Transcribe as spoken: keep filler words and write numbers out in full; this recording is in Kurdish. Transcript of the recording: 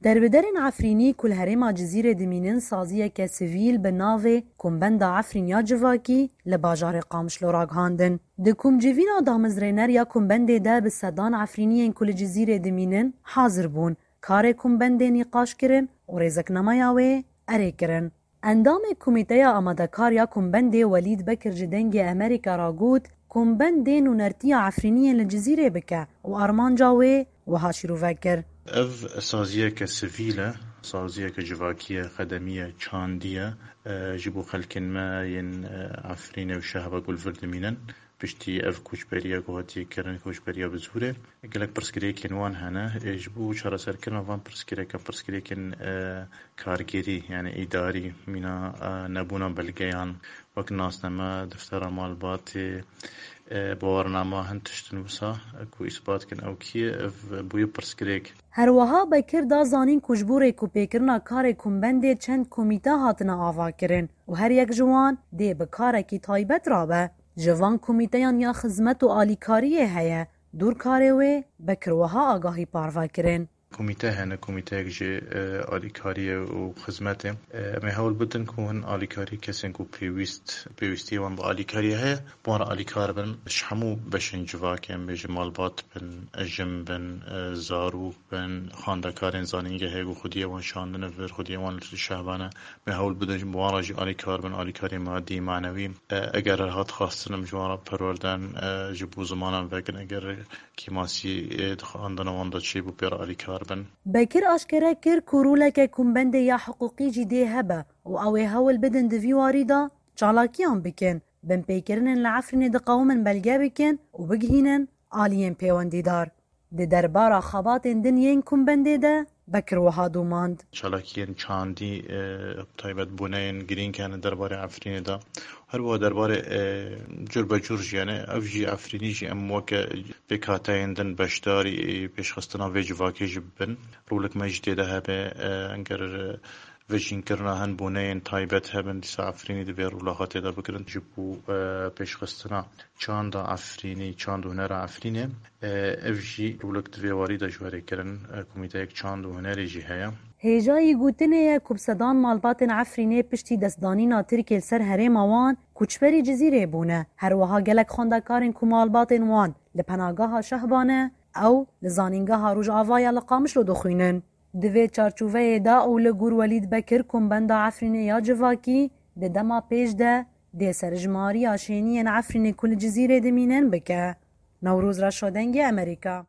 Derbiderên Efrînî ku li herêma Cizîrê dimînin saziyeke sivîl bi navê Kombenda Efrîn ya Civakî li bajarê Qamişlo ragihandin. Di komcivîna damezrêner ya kombendê de bi sedan Efrîniyên ku li Cizîrê dimînin hazir bûn. Karê kombendê nîqaş kirin û rêzeknameya wê erê kirin. Endamê Komîteya Amadekar ya Kombendê Welîd Bekir ji Dengê Amerîka re got, Kombend dê nûnertiya Efrîniyên li Cizîrê bike û armanca wê wiha şîrove kir. Ev saziyeke sivîl e, saziyeke civakî ye, xedemî ye, çandî ye, e, ji bo xelkên me yên, e, Efrînê û Şehba ku li vir dimînin. Piştî ev koçberiya ku hatiye kirin, koçberiya bi zorê, gelek pirsgirêkên wan hene. Ê, ji bo çareserkirina van pirsgirêkan, pirsgirêkên, e, kargêrî, yani îdarî, mîna, e, nebûna belgeyan, wek nasname, deftera malbatê, e, bawarnama, hin tiştin wisa, e, ku îsbat kin ew kî ye, ev bûye pirsgirêk. Her wiha Bekir da zanîn ku ji bo rêkûpêkirina karê kombendê çend komîte hatine avakirin û her yek ji wan dê bi karekî taybet rabe. Ji van komîteyan ya xizmet û alîkariyê heye. Dûr karê wê Bekir wiha agahî parve kirin. Komîte hene, komîteyek ji, e, alîkariyê û xizmetê. E, em ê hewl bidin ku hin alîkarî kesên ku pêwîst, pêwîstiyê wan bi alîkariyê heye, bi wan re alîkar bin. Ji hemû beşên civakê, em bêjin malbat bin, jin bin, e, zarok bin, xwendekarên zanîngehê ku xwediyê wan şandine vir, xwediyê wan li şehba ne. Em ê hewl bidin ji wan re jî alîkar bin, alîkarî madî, manewî. E, eger hat xwestin em ji wan re perwerden, e, ji bo zimanan vekin, eger kêmasî, e, di xwendina wan de çêbû pê re alîkar bin. Bekir aşkere kir ku roleke kombendê ya hiqûqî jî dê hebe û ew ê hewl bidin di vî warî de çalakiyan bikin, binpêkirinên li Efrînê diqewimin belge bikin û bigihînin aliyên pêwendîdar. Di derbara xebatên din yên kombendê de Bekir wiha domand. Çalakiyên çandî, e, taybet bûneyên girîng hene derbarê Efrînê de. Her wiha derbarê, e, cur be cur jî, yani ev jî Efrînî jî em weke pêkhateyên din beşdarî, e, pêşxistina vê civakê jî bibin. Rolek me jî tê de hebe, e, eger, e, vejînkirina hin bûneyên taybet hebin, dîsa Efrînî divê rola xwe tê de bigirin. Ji bo, e, pêşxistina çanda Efrînî, çand û hunera Efrînê, e, ev jî rolek di vê warî de ji we re kirin. E, komîteyek çand û hunerê jî heye. Hêjayî gotinê ye ku bi sedan malbatên Efrînê piştî destdanîna Tirkiyê li ser herêma wan koçberî Cizîrê bûne. Her wiha gelek xwendekarên ku malbatên wan li penageha Şehba ne, ew li Zanîngeha Rojava ya li Qamişlo dixwînin. Di vê çarçoveyê de û li gor Welîd Bekir, Kombenda Efrînê ya Civakî di dema pêş de dê serjimariya şêniyên Efrînê ku li Cizîrê dimînin bike. Newroz Reşo, Dengê Amerîka.